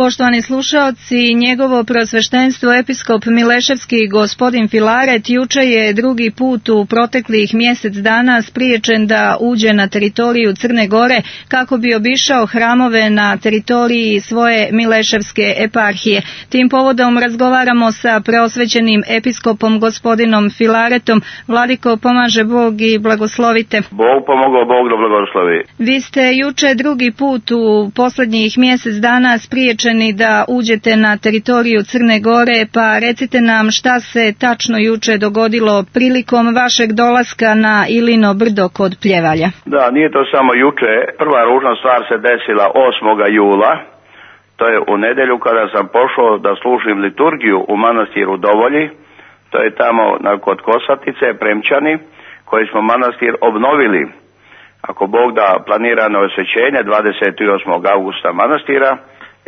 Poštovani slušaoci, njegovo prosveštenstvo episkop Mileševski gospodin Filaret juče je drugi put u proteklih mjesec dana spriječen da uđe na teritoriju Crne Gore kako bi obišao hramove na teritoriji svoje Mileševske eparhije. Tim povodom razgovaramo sa preosvećenim episkopom gospodinom Filaretom. Vladiko, pomaže Bog i blagoslovite. Bog pomogao, Bog da blagoslovi. Vi ste juče drugi put u posljednjih mjesec dana spriječeni da uđete na teritoriju Crne Gore, pa recite nam šta se tačno juče dogodilo prilikom vašeg dolaska na Ilino brdo kod Pljevalja. Da, nije to samo juče. Prva ružna stvar se desila 8. jula. To je u nedjelju kada sam pošao da služim liturgiju u manastiru Dovolji. To je tamo kod Kosatice, Premčani, koji smo manastir obnovili. Ako Bog da, planirano osvećenje 28. augusta manastira,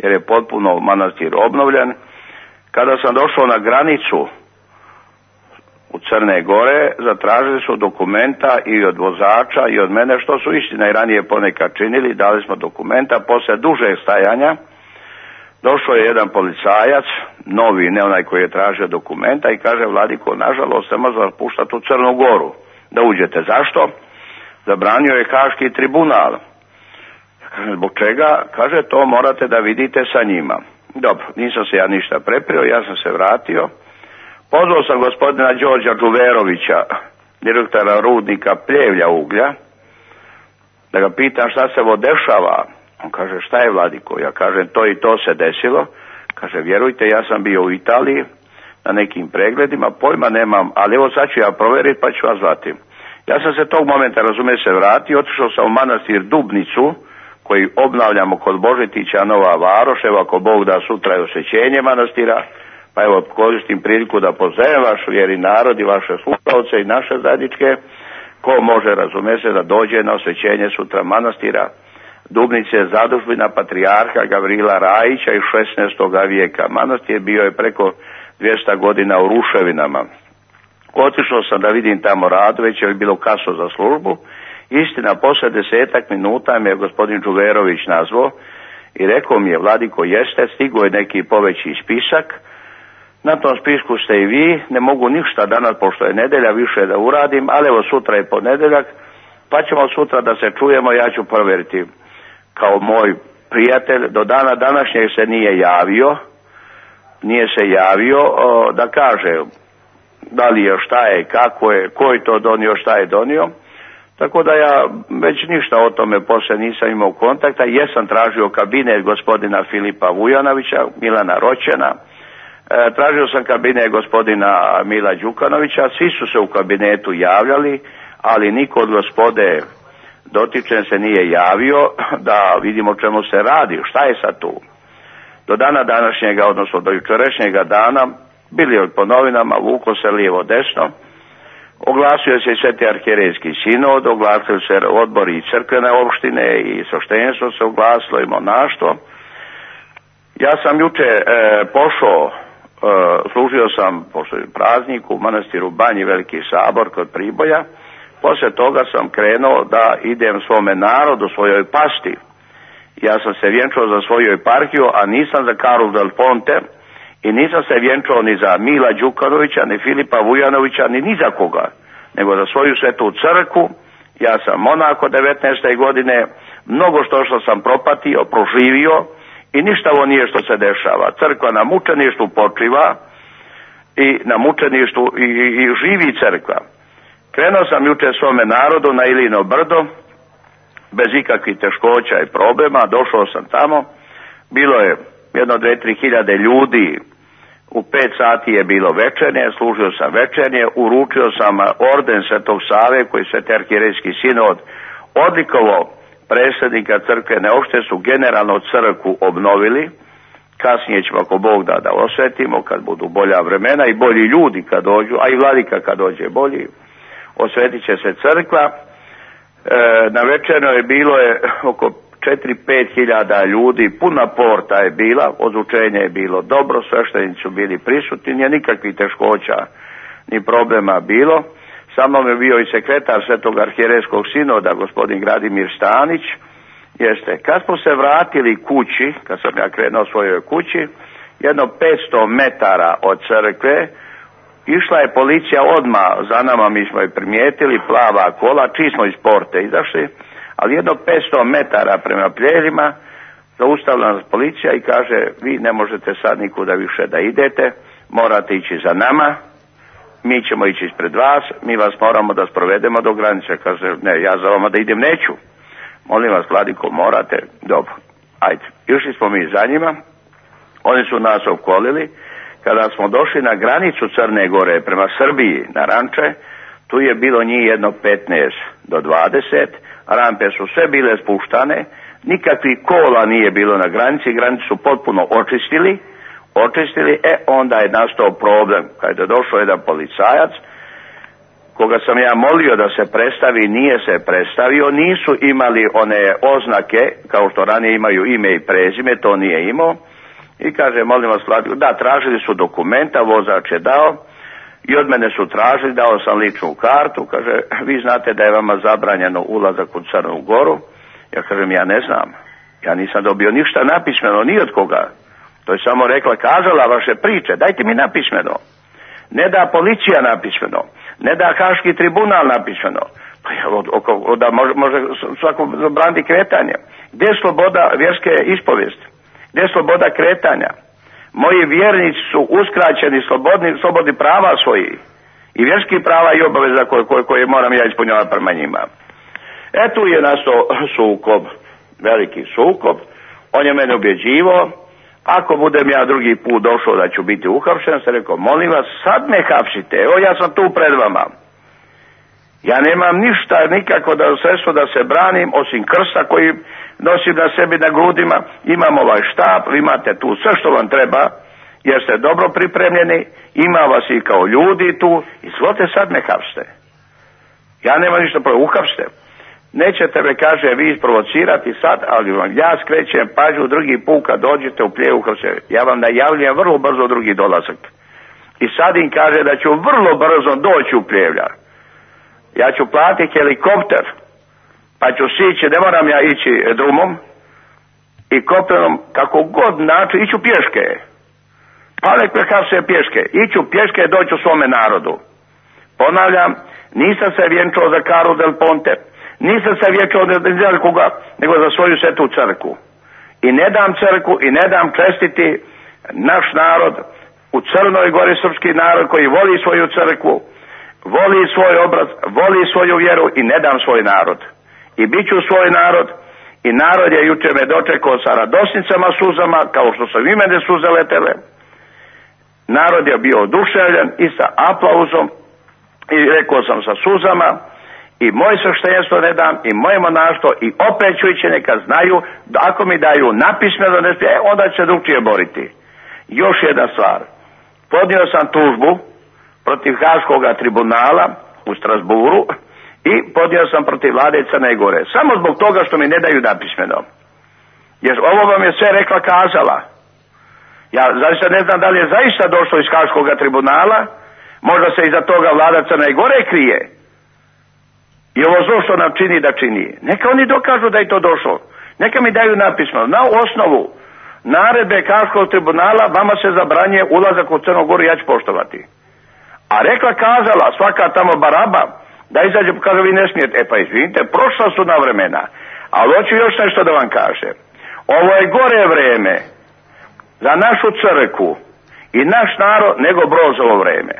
jer je potpuno manastir obnovljen. Kada sam došao na granicu u Crne Gore, zatražili su dokumenta i od vozača i od mene, što su istina i ranije ponekad činili. Dali smo dokumenta, poslije dužeg stajanja došao je jedan policajac, novi, ne onaj koji je tražio dokumenta, i kaže: Vladiko, nažalost, ne može puštati u Crnu Goru da uđete. Zašto? Zabranio je Haški tribunal. Zbog čega? Kaže, to morate da vidite sa njima. Dobro, nisam se ja ništa preprio, ja sam se vratio. Pozvao sam gospodina Đorđa Đuverovića, direktora rudnika Pljevlja uglja, da ga pitam šta se ovo dešava. On kaže: šta je, Vladiko? Ja kažem: to i to se desilo. Kaže: vjerujte, ja sam bio u Italiji na nekim pregledima, pojma nemam, ali evo sad ću ja provjeriti pa ću vas zvati. Ja sam se tog momenta, razumije se, vratio, otišao sam u manastir Dubnicu, koji obnavljamo kod Božetića, Nova Varoš. Evo, ako Bog da, sutra je osvećenje manastira, pa evo, koristim priliku da pozdravim vaš vjeri narod i vaše slušalce i naše zajedničke. Ko može, razumije se, da dođe na osvećenje sutra manastira Dubnice, zadužbina patrijarha Gavrila Rajića iz 16. vijeka. Manastir bio je preko 200 godina u ruševinama. Otišao sam da vidim tamo rad, već je bilo kasno za službu. Istina, poslije 10 minuta me je gospodin Đuverović nazvao i rekao mi je: Vladiko, jeste, stigo je neki poveći spisak, na tom spisku ste i vi, ne mogu ništa danas, pošto je nedjelja, više da uradim, ali evo, sutra je ponedjeljak, pa ćemo sutra da se čujemo, ja ću provjeriti. Kao moj prijatelj, do dana današnjeg se nije se javio da kaže da li je, šta je, kako je, ko je to donio, šta je donio. Tako da ja već ništa o tome poslije nisam imao kontakta. Jesam tražio kabinet gospodina Filipa Vujanovića, Milana Roćena, tražio sam kabinet gospodina Mila Đukanovića, svi su se u kabinetu javljali, ali niko od gospode dotičen se nije javio da vidimo čemu se radi, šta je sad tu. Do dana današnjega, odnosno do jučerašnjega dana, bili je po novinama, vuko se lijevo desno, oglasio se i Sveti arhijerejski sinod, oglasio se odbori i crkvene opštine i sveštenstvo se oglasilo i monaštvo. Ja sam juče pošao, služio sam pošto je praznik u manastiru Banji Veliki Sabor kod Priboja. Poslije toga sam krenuo da idem svome narodu, svojoj pasti. Ja sam se vjenčao za svoju eparhiju, a nisam za Carlo del Ponte, i nisam se vjenčao ni za Mila Đukanovića, ni Filipa Vujanovića, ni za koga, nego za svoju svetu crkvu. Ja sam monako 19. godine, mnogo što sam propatio, proživio, i ništa ovo nije što se dešava. Crkva na mučeništvu počiva i na mučeništvu i živi crkva. Krenuo sam juče svome narodu na Ilino brdo, bez ikakvih teškoća i problema, došao sam tamo, bilo je 1-2-3 hiljade ljudi, u 5 sati je bilo večernje, služio sam večernje, uručio sam orden Svetog Save koji Sveti arhijerejski sinod odlikovao predsjednika crkvene opštine, su generalno crkvu obnovili. Kasnije ćemo, ako Bog da osvetimo, kad budu bolja vremena i bolji ljudi kad dođu, a i vladika kad dođe bolji, osvetit će se crkva. Na večernjoj bilo je oko 4-5 hiljada ljudi, puna porta je bila, odučenje je bilo dobro, sveštenici su bili prisutni, nije nikakvih teškoća ni problema bilo. Sa mnom je bio i sekretar Svetog arhijerejskog sinoda, gospodin Gradimir Stanić, Jeste, kad smo se vratili kući, kad sam ja krenuo svojoj kući, jedno 500 metara od crkve, išla je policija odmah za nama, mi smo je primijetili, plava kola, čiji smo iz porte izašli, ali jedno 500 metara prema Plježima, zaustavila nas policija i kaže, vi ne možete sad nikuda više da idete, morate ići za nama, mi ćemo ići ispred vas, mi vas moramo da sprovedemo do granice. Kaže, ne, ja za vama da idem neću. Molim vas, vladiko, morate. Dobro, ajde. Išli smo mi za njima, oni su nas opkolili. Kada smo došli na granicu Crne Gore prema Srbiji, na Ranče, tu je bilo njih jedno 15 do 20, rampe su sve bile spuštane, nikakvih kola nije bilo na granici, granicu su potpuno očistili, onda je nastao problem. Kad je došao jedan policajac, koga sam ja molio da se predstavi, nije se predstavio, nisu imali one oznake, kao što ranije imaju ime i prezime, to nije imao, i kaže, molim vas, da, tražili su dokumenta, vozač je dao, i od mene su tražili, dao sam ličnu kartu, kaže, vi znate da je vama zabranjeno ulazak u Crnu Goru, ja kažem, ja ne znam, ja nisam dobio ništa napismeno, ni od koga. To je samo rekla, kazala vaše priče, dajte mi napismeno. Ne da policija napismeno, ne da Haški tribunal napismeno, pa da može svako zabrani kretanje. Gdje je sloboda vjerske ispovijesti? Gdje je sloboda kretanja? Moji vjernici su uskraćeni slobodni prava svoji i vjerskih prava i obaveza koje moram ja ispunjavati prema njima. Tu je nastao sukob, veliki sukob, on je mene ubjeđivao, ako budem ja drugi put došao da ću biti uhapšen, sam rekao, molim vas, sad me hapsite, evo ja sam tu pred vama. Ja nemam ništa, nikako sredstvo da se branim, osim krsta koji nosim na sebi na grudima, imam ovaj štap, imate tu sve što vam treba, jer ste dobro pripremljeni, ima vas i kao ljudi tu, izvolite sad me hapsite. Ja nemam ništa protiv, uhapsite. Nećete me, kaže, vi isprovocirati sad, ali vam ja skrećem pažnju drugi put kad dođete u Pljevu, ja vam najavljujem vrlo brzo drugi dolazak. I sad im kaže da ću vrlo brzo doći u Pljevlja. Ja ću platiti helikopter, pa ću sići, ne moram ja ići drumom i kopnenom, kako god način, iću pješke. Pa nek me hapse pješke, iću pješke, doću svome narodu. Ponavljam, nisam se vjenčao za Karu del Ponte, nisam se vjenčao za koga, nego za svoju svetu crkvu. I ne dam crkvu i ne dam čestiti naš narod u Crnoj Gori, srpski narod koji voli svoju crkvu, voli svoj obraz, voli svoju vjeru i ne dam svoj narod. I bit ću svoj narod i narod je juče me dočekao sa radosnicama, suzama, kao što sam i mene suze letele. Narod je bio oduševljen i sa aplauzom i rekao sam sa suzama i moje sveštenstvo ne dam i moje monaštvo i opet ću ići, neka znaju da ako mi daju napismeno, onda će se drugčije boriti. Još jedna stvar, podnio sam tužbu protiv Haškog tribunala u Strasburu i podnio sam protiv vlade Crne Gore. Samo zbog toga što mi ne daju napismeno. Jer ovo vam je sve rekla, kazala. Ja zaista ne znam da li je zaista došlo iz Haškog tribunala, možda se iza toga vlada Crne Gore krije. I ovo zlo što nam čini da čini. Neka oni dokažu da je to došlo. Neka mi daju napismeno. Na osnovu naredbe Haškog tribunala vama se zabranjuje ulazak u Crnu Goru, ja ću poštovati. A rekla, kazala, svaka tamo baraba, da izađe, kaže, vi ne smijete. Pa izvinite, prošla su na vremena. Ali hoću još nešto da vam kažem. Ovo je gore vreme za našu crkvu i naš narod nego Brozovo vreme.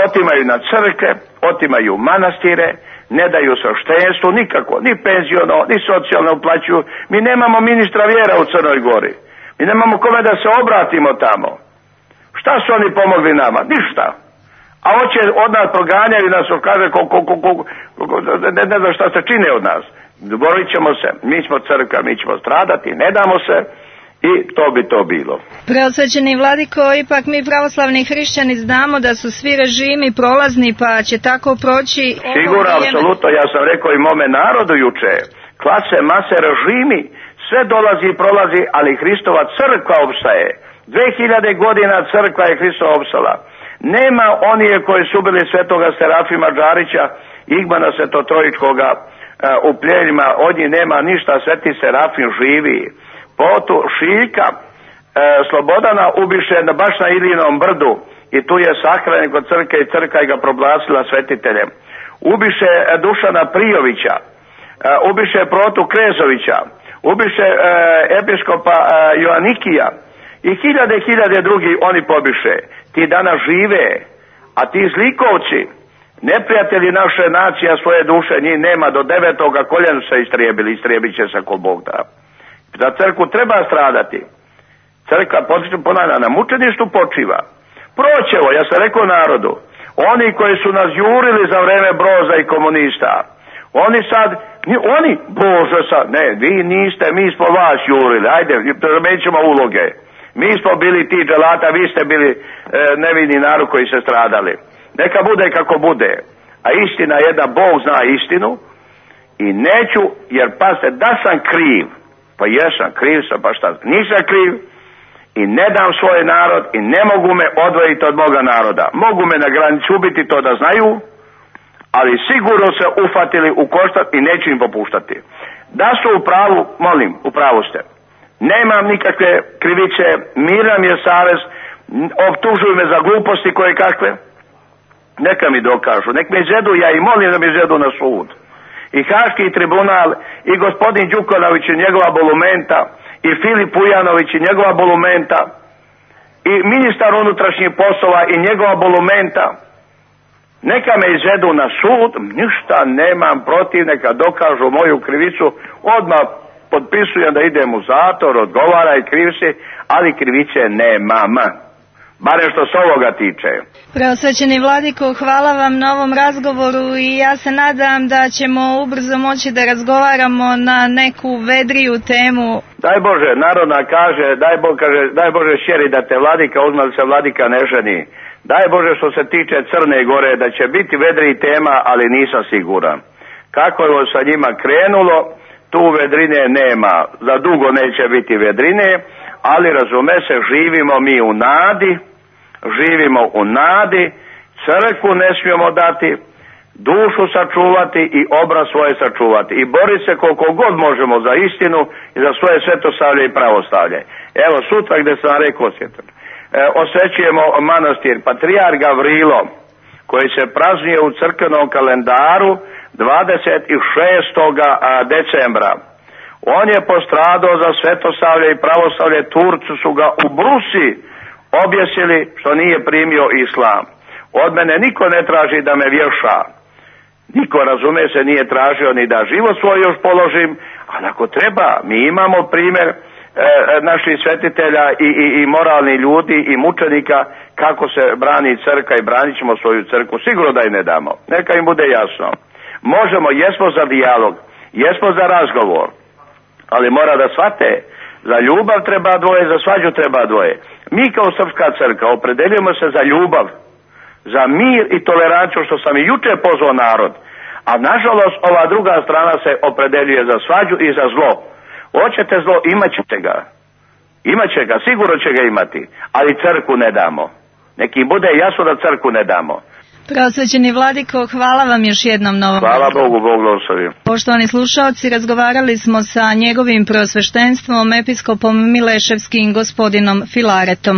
Otimaju na crkve, otimaju manastire, ne daju sveštenstvo nikako, ni penziono, ni socijalno uplaćuju. Mi nemamo ministra vjera u Crnoj Gori. Mi nemamo kome da se obratimo tamo. Šta su oni pomogli nama? Ništa. A hoće od nas proganjaju nas, kaže, ne znam šta se čine od nas. Borit ćemo se, mi smo crkva, mi ćemo stradati, ne damo se i to bi to bilo. Preosvećeni vladiko, ipak mi pravoslavni hrišćani znamo da su svi režimi prolazni, pa će tako proći. Sigurno, apsolutno, ja sam rekao i mome narodu juče, klase, mase, režimi, sve dolazi i prolazi, ali Hristova crkva opstaje. 2000 godina crkva je Hristova opstala. Nema onije koji su bili svetoga Serafima Džarića, Igmana Svetotrojičkoga, u pljeljima, od njih nema ništa, Sveti Serafim živi. Potu Šiljka Slobodana ubiše baš na Ilinom brdu i tu je sahranjen kod crkve i crkva ga proglasila svetiteljem. Ubiše Dušana Prijovića, ubiše Protu Krezovića, ubiše episkopa Joanikija i hiljade drugi oni pobiše. Ti danas žive, a ti zlikovci, neprijatelji naše nacije, svoje duše, njih nema, do 9. koljena se istrijebit će se ko Bog da. Za crkvu treba stradati. Crkva, ponavljam, na mučeništu počiva. Proćevo, ja sam rekao narodu, oni koji su nas jurili za vreme Broza i komunista, oni sad, Bože sad, ne, vi niste, mi smo vas jurili, ajde, premećemo uloge. Mi smo bili ti dželata, vi ste bili nevini narod koji se stradali. Neka bude kako bude. A istina je da Bog zna istinu i neću, jer pazite, da sam kriv, pa jesam, kriv sam, pa šta, nisam kriv i ne dam svoj narod i ne mogu me odvojiti od moga naroda. Mogu me na granici ubiti, to da znaju, ali sigurno se ufatili u koštac i neću im popuštati. Da su u pravu, molim, u pravu ste. Nemam nikakve krivice, miran je savez, optužuju me za gluposti koje kakve. Neka mi dokažu, nek me izvedu, ja i molim da mi izvedu na sud. I Haški tribunal, i gospodin Đukanović i njegova bolumenta, i Filip Ujanović i njegova bolumenta, i ministar unutrašnjih poslova i njegova bolumenta. Neka me izvedu na sud, ništa nemam protiv, neka dokažu moju krivicu, odmah potpisujem da idem u zatvor, odgovaraj kriv si, ali krivice nemam. Barem što se ovoga tiče. Preosvećeni vladiko, hvala vam na ovom razgovoru i ja se nadam da ćemo ubrzo moći da razgovaramo na neku vedriju temu. Daj Bože, narodna kaže, daj Bože šeri da te vladika uzme, da se vladika ne ženi. Daj Bože što se tiče Crne Gore, da će biti vedriji tema, ali nisam siguran. Kako je sa njima krenulo, tu vedrine nema. Za dugo neće biti vedrine, ali razume se, živimo mi u nadi, crkvu ne smijemo dati, dušu sačuvati i obraz svoje sačuvati i boriti se koliko god možemo za istinu i za svoje svetosavlje i pravoslavlje. Evo sutra gdje sam rekao, osvećujemo manastir Patrijarh Gavrilo koji se praznuje u crkvenom kalendaru 26. decembra. On je postradao za svetosavlje i pravoslavlje, Turci su ga u Brusi objesili što nije primio islam. Od mene niko ne traži da me vješa. Niko, razume se, nije tražio ni da život svoj još položim, ali ako treba, mi imamo primjer naših svetitelja i moralnih ljudi i mučenika kako se brani crkva i branit ćemo svoju crkvu. Sigurno da im ne damo. Neka im bude jasno. Možemo, jesmo za dijalog, jesmo za razgovor, ali mora da shvate, za ljubav treba dvoje, za svađu treba dvoje. Mi kao Srpska crkva opredeljujemo se za ljubav, za mir i toleranciju, što sam i jučer pozvao narod. A nažalost ova druga strana se opredeljuje za svađu i za zlo. Hoćete zlo, imat ćete ga. Imat će ga, sigurno će ga imati, ali crkvu ne damo. Neki bude jasno da crkvu ne damo. Preosvećeni vladiko, hvala vam još jednom na ovom. Hvala Bogu, Bog blagoslovi. Poštovani slušaoci, razgovarali smo sa njegovim preosveštenstvom, episkopom Mileševskim gospodinom Filaretom.